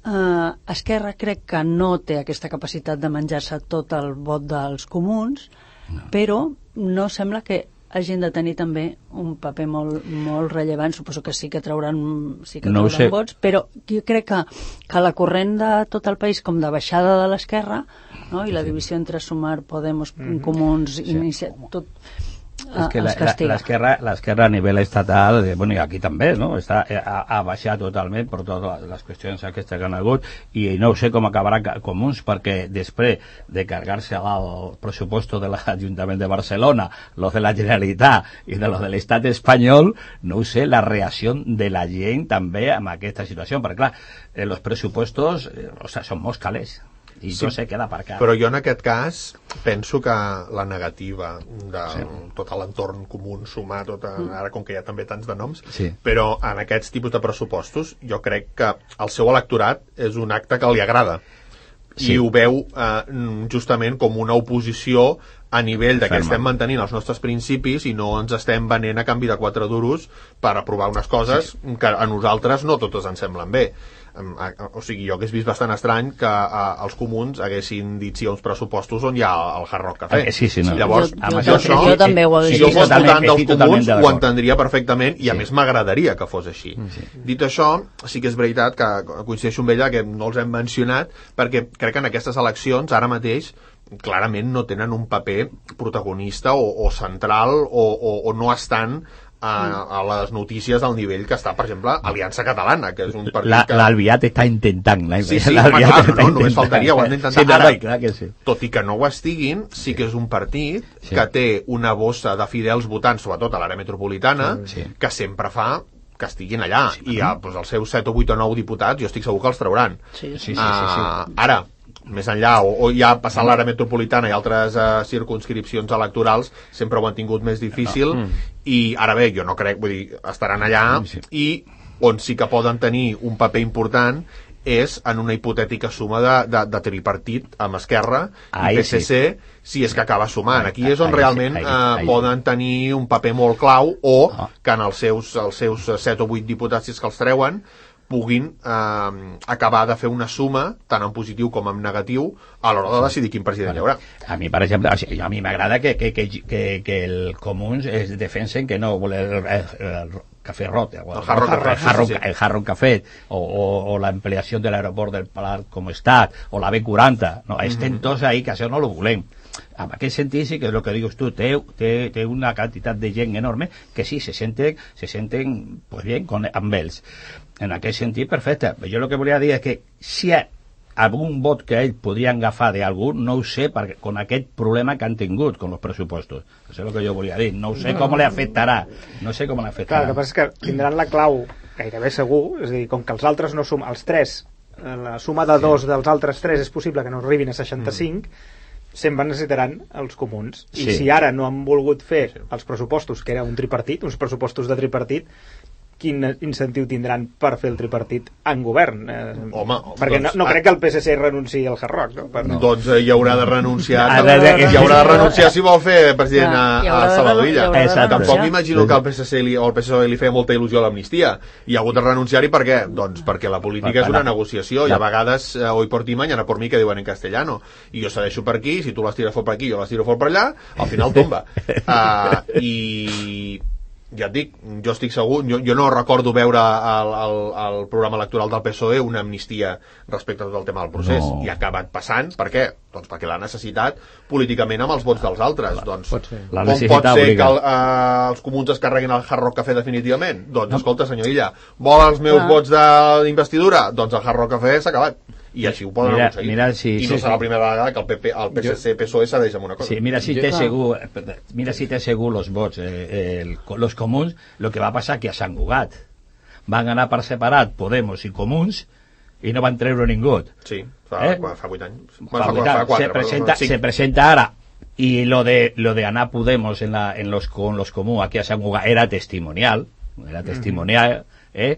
eh, Esquerra crec que no té aquesta capacitat de menjar-se tot el vot dels comuns, no. però no sembla que hagin de tenir també un paper molt, molt rellevant. Suposo que sí que trauran, sí que No ho trauran sé. vots, però jo crec que, que la corrent de tot el país, com de baixada de l'esquerra, no? I la divisió entre Sumar, Podemos, mm-hmm. Comuns, sí. Inicia, tot... És que l'esquerra l'esquerra a nivell estatal, eh, bueno, i aquí també, no? Està, ha, ha baixat totalment per totes les qüestions aquestes que han hagut, i no sé com acabarà Comuns, perquè després de cargar-se al pressupost de l'Ajuntament de Barcelona, los de la Generalitat i de los de l'Estat espanyol, no ho sé, la reacció de la gent també amb aquesta situació, perquè clar, eh, els pressupostos eh, o sea, són molt calés. I sí, no se queda aparcat. Però jo en aquest cas penso que la negativa de sí. tot l'entorn comú, sumar tota, ara com que hi ha també tants de noms, sí. però en aquests tipus de pressupostos jo crec que el seu electorat és un acte que li agrada sí. i ho veu eh, justament com una oposició a nivell de que estem mantenint els nostres principis i no ens estem venent a canvi de quatre duros per aprovar unes coses sí. que a nosaltres no totes ens semblen bé. O sigui, jo hagués vist bastant estrany que uh, els comuns haguessin dit sí a uns pressupostos on hi ha el Hard Rock Café. Eh, sí, sí, no. Llavors, jo, jo, jo, jo també ho he si vist. jo fos votant dels comuns ho entendria perfectament i a sí. més m'agradaria que fos així. Sí. Dit això, sí que és veritat que coincideixo amb ella que no els hem mencionat perquè crec que en aquestes eleccions ara mateix clarament no tenen un paper protagonista o, o central o, o, o no estan A, a les notícies al nivell que està, per exemple, Aliança Catalana, que és un partit la, que... L'Albiat està intentant. La... Sí, sí, home, clar, no, no, només faltaria, ho han d'intentar. Sí, ara, clar que sí. Tot i que no ho estiguin, sí que és un partit sí. que té una bossa de fidels votants, sobretot a l'àrea metropolitana, sí. que sempre fa que estiguin allà. Sí, I ja, doncs, els seus set o vuit o nou diputats, jo estic segur que els trauran. Sí, sí, sí. sí, sí, sí. Uh, ara, més enllà, o, o ja passant l'àrea metropolitana i altres uh, circunscripcions electorals sempre ho han tingut més difícil no. mm. i ara bé, jo no crec, vull dir, estaran allà sí. i on sí que poden tenir un paper important és en una hipotètica suma de, de, de tripartit amb Esquerra i P S C sí. si és que acaba sumant. Aquí és on ai, realment ai, ai, ai, uh, poden tenir un paper molt clau o oh. que en els seus, els seus set o vuit diputats, si és que els treuen, puguin eh, acabar de fer una suma tant en positiu com en negatiu a l'hora de decidir quin president hi haurà. A mi, per exemple, a mi m'agrada que, que, que, que, que el Comuns es defensen que no vol el, el, el café rot, el, el Hard Rock Café, el, sí, sí. el Hard Rock Café o, o, o la ampliació de l'aeroport del Palau com estat o la B quaranta, no, estem mm-hmm. tots ahí que això no lo volem. En aquest sentit sí que és el que dius tu, té, té, té una quantitat de gent enorme que sí, se senten, se senten pues bien con, amb ells. En aquest sentit, perfecte. Jo el que volia dir és que si hi ha algun vot que ells podrien agafar d'algú, no ho sé, perquè con aquest problema que han tingut con els pressupostos. Això és el que jo volia dir. No sé com li afectarà. No sé com li afectarà. Clar, el que passa és que tindran la clau gairebé segur, és a dir, com que els altres no sumen, els tres, la suma de dos dels altres tres és possible que no arribin a seixanta-cinc, mm. sempre necessitaran els comuns. I sí. si ara no han volgut fer els pressupostos, que era un tripartit, uns pressupostos de tripartit, quin incentiu tindran per fer el tripartit en govern? Eh, home, perquè doncs, no, no crec que el P S C renunciï al Hard Rock. No? Per... No. Doncs eh, hi haurà de renunciar hi haurà de renunciar si vol fer president a, a Salvador Illa. Tampoc m'imagino que el P S C li, o el P S O E li feia molta il·lusió a l'amnistia. Hi ha hagut de renunciar-hi per què? Doncs perquè la política és una negociació i a vegades eh, hoy por ti, mañana por mí, que diuen en castellano. I jo segueixo per aquí, si tu les tires fort per aquí, jo les tiro fort per allà, al final tomba. Uh, I... ja et dic, jo estic segur, jo, jo no recordo veure al, al, al programa electoral del P S O E una amnistia respecte a tot el tema del procés, no. i ha acabat passant, per què? Doncs perquè l'ha necessitat políticament amb els vots dels altres. La, doncs, pot com pot ser que el, eh, els comuns es carreguin el Hard Rock Café definitivament? Doncs no. escolta, senyor Illa, vol els meus ah. vots d'investidura? Doncs el Hard Rock Café s'ha acabat. I així ho poden mira, aconseguir. Mira, sí, I no sí, serà sí. la primera vegada que el P P, el P S C, P S O E s'adeix amb una cosa. Sí, mira si té segur, mira si té segur los vots, eh, el, los comuns, lo que va passar que a Sant Cugat van anar per separat Podemos i Comuns i no van treure ningú. Sí, fa, eh? fa vuit anys. Fa, fa, vuit anys. Fa quatre, se, presenta, se presenta ara y lo de lo de anar Podemos en, la, en los, con los comuns aquí a Sant Cugat era testimonial, era testimonial, eh?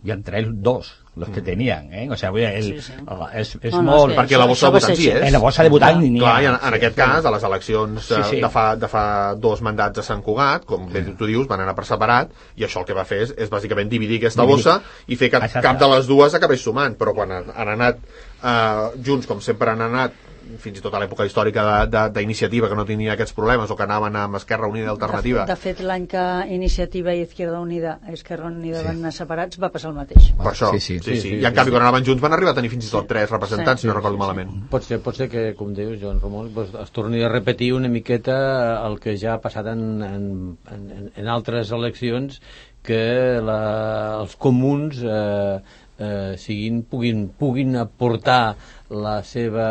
i entre ells dos los que tenien, eh? O sigui, el, sí, sí. El, és, és no, no, molt... Perquè la bossa de votants hi és. En la bossa de votants n'hi ha. Clar, en, en aquest cas, a les eleccions sí, sí. De, fa, de fa dos mandats a Sant Cugat, com bé tu dius, van anar per separat, i això el que va fer és, és bàsicament dividir aquesta bossa i fer que Exacte. Cap de les dues acabés sumant, però quan han, han anat eh, junts, com sempre han anat, fins i tot a l'època històrica d'Iniciativa, que no tenia aquests problemes, o que anaven amb Esquerra Unida i Alternativa. De, de fet, l'any que Iniciativa i Izquierda Unida, Esquerra Unida sí. van anar separats, va passar el mateix. Per això, sí, sí, sí, sí, sí. I en canvi, quan anaven junts van arribar a tenir fins i tot tres representants, sí, si no recordo sí, malament. Sí. Pot ser, pot ser que, com dius, Joan Ramon, pues, es torni a repetir una miqueta el que ja ha passat en, en, en, en altres eleccions, que la, els comuns eh, eh, siguin, puguin, puguin aportar la seva,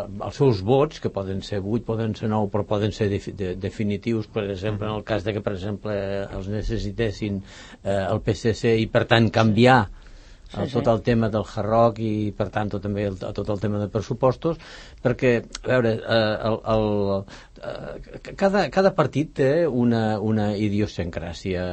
els seus vots, que poden ser vuit, poden ser nou, però poden ser de, de, definitius, per exemple, en el cas de que, per exemple, els necessitessin eh, el P S C i, per tant, canviar sí, el, tot el tema del Hard Rock i, per tant, tot, també el, tot el tema de pressupostos, perquè, a veure, eh, el, el, eh, cada, cada partit té una, una idiosincràsia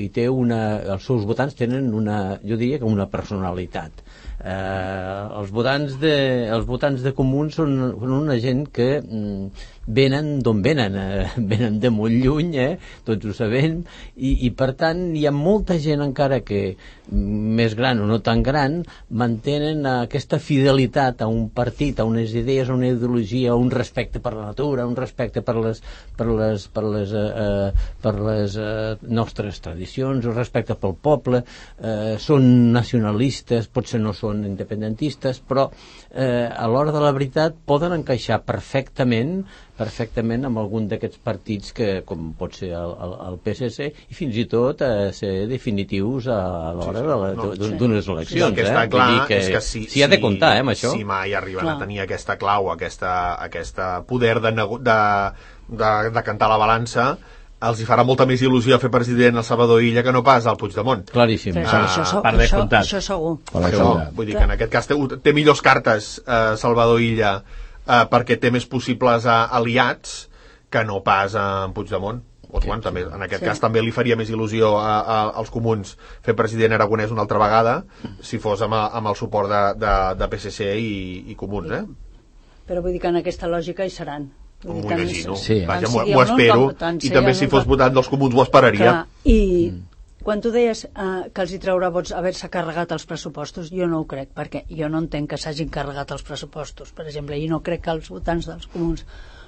i té una, els seus votants tenen una, jo diria que una personalitat. Eh, els votants de els votants de Comuns són, són una gent que mm, venen d'on venen, eh, venen de molt lluny, eh, tots ho sabem, i, i per tant hi ha molta gent encara que més gran o no tan gran mantenen aquesta fidelitat a un partit, a unes idees, a una ideologia, a un respecte per la natura, un respecte per les, per les, per les, eh, per les eh, nostres tradicions, un respecte pel poble, eh, són nacionalistes, potser no són independentistes, però eh, a l'hora de la veritat poden encaixar perfectament perfectament amb algun d'aquests partits que, com pot ser el, el, el P S C, i fins i tot eh, ser definitius a, a l'hora sí, sí. d'unes eleccions. Sí, el que està eh? clar que és que si, si ha de comptar, eh, amb això. Si mai arriben clar. a tenir aquesta clau, aquesta, aquesta poder de, de, de, de cantar la balança, els hi farà molta més il·lusió fer president el Salvador Illa que no pas al Puigdemont. Claríssim. Sí, ah, això, això, per descomptat. Això, això segur. Això, vull dir que en aquest cas té, té millors cartes eh, Salvador Illa eh, perquè té més possibles eh, aliats que no pas en Puigdemont. O, sí, bueno, també, en aquest sí. cas també li faria més il·lusió a, a, als comuns fer president aragonès una altra vegada si fos amb, amb el suport de, de, de P S C i, i comuns, eh? Però vull dir que en aquesta lògica hi seran. M'ho imagino, sí. vaja, m'ho espero, i també si fos votant dels comuns ho esperaria. Clar, i mm. quan tu deies uh, que els hi traurà vots haver-se carregat els pressupostos, jo no ho crec, perquè jo no entenc que s'hagin carregat els pressupostos, per exemple, i no crec que els votants dels comuns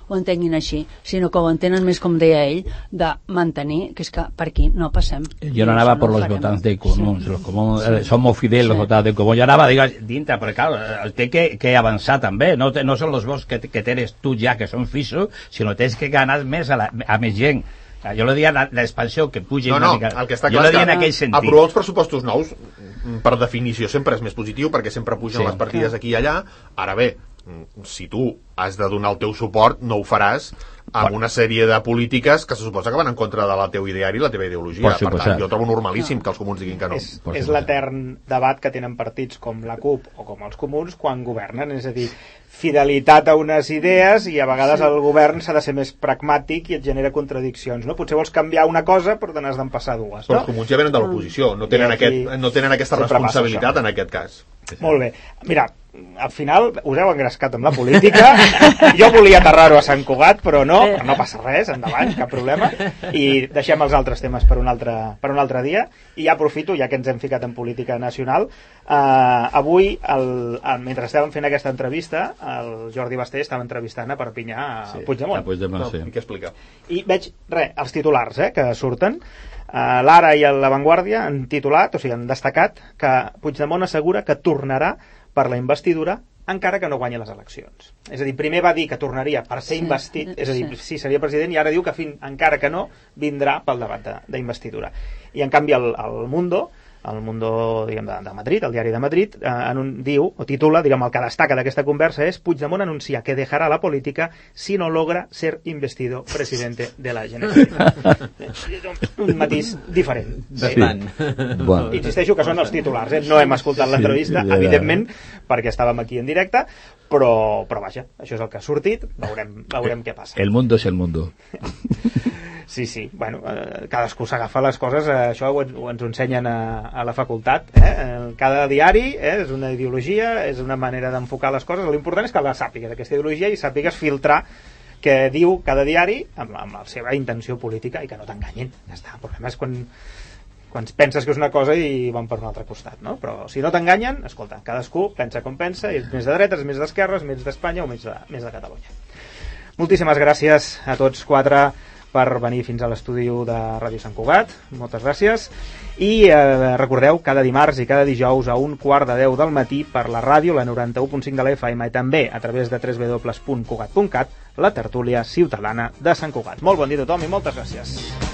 ho entenguin així, sinó que ho entenen més, com deia ell, de mantenir, que és que per aquí no passem. Yo no anava por no los votantes de Comuns, sí. los comuns sí. son molt fidels, sí. los votantes de Comuns. Jo anava, digues, dintre, però clar, té que, que avançar també, no, no són els vots que, que tens tu ja, que són fixos, sinó tens que ganar més a, la, a més gent. Jo lo diria l'expansió, que pugi no, no, una mica. El que està jo clar lo diria que en aquell sentit. Aprovar els pressupostos nous, per definició, sempre és més positiu, perquè sempre pugen sí. les partides aquí i allà. Ara bé, si tu has de donar el teu suport, no ho faràs amb una sèrie de polítiques que se suposa que van en contra de la teu ideari i la teva ideologia. Per tant, jo trobo normalíssim que els comuns diguin que no. És, és l'etern debat que tenen partits com la CUP o com els comuns quan governen, és a dir, fidelitat a unes idees, i a vegades sí. el govern s'ha de ser més pragmàtic i et genera contradiccions, no? Potser vols canviar una cosa però te n'has d'empassar dues, no? Però els comuns ja venen de l'oposició, no tenen, aquest, no tenen aquesta responsabilitat en aquest cas. Molt bé. Mira, al final us heu engrescat amb la política. Jo volia aterrar-ho a Sant Cugat, però no, però no passa res, endavant, cap problema. I deixem els altres temes per un altre, per un altre dia. I ja aprofito, ja que ens hem ficat en política nacional, eh, avui, el, el, mentre estàvem fent aquesta entrevista, el Jordi Basté estava entrevistant a Perpinyà a sí, Puigdemont. A Puigdemont, no, sí. I què explica? I veig, res, els titulars eh, que surten. Uh, L'Ara i La Vanguardia han titulat, o sigui, han destacat que Puigdemont assegura que tornarà per la investidura encara que no guanyi les eleccions. És a dir, primer va dir que tornaria per ser investit, és a dir, sí, seria president, i ara diu que fin, encara que no, vindrà pel debat d'investidura. I en canvi el, el Mundo, el Mundo, diguem, de, de Madrid, el diari de Madrid, eh, en un, diu, o titula, diguem, el que destaca d'aquesta conversa és: Puigdemont anuncia que dejará la política si no logra ser investido presidente de la Generalitat. Un matís diferent. Sí. Bueno. Insisteixo que són els titulars, eh? No hem escoltat l'entrevista, sí, evidentment, perquè estàvem aquí en directe, però, però vaja, això és el que ha sortit, veurem, veurem què passa. El mundo es el mundo. Sí, sí, bueno, eh, cadascú s'agafa les coses, eh, això ho, ho ens ho ensenyen a, a la facultat, eh? Cada diari eh, és una ideologia, és una manera d'enfocar les coses. L'important és que la sàpigues, aquesta ideologia, i sàpigues filtrar què diu cada diari amb, amb la seva intenció política i que no t'enganyin. Ja està, el problema és quan quan penses que és una cosa i van per un altre costat, no? Però si no t'enganyen, escolta, cadascú pensa com pensa, és més de dretes, més d'esquerres, més d'Espanya o més de, més de Catalunya. Moltíssimes gràcies a tots quatre per venir fins a l'estudi de Ràdio Sant Cugat, moltes gràcies, i eh, recordeu, cada dimarts i cada dijous a un quart de deu del matí per la ràdio, la noranta-u punt cinc de la F M, i també a través de w w w punt cugat punt cat, la tertúlia ciutadana de Sant Cugat. Molt bon dia a tothom i moltes gràcies.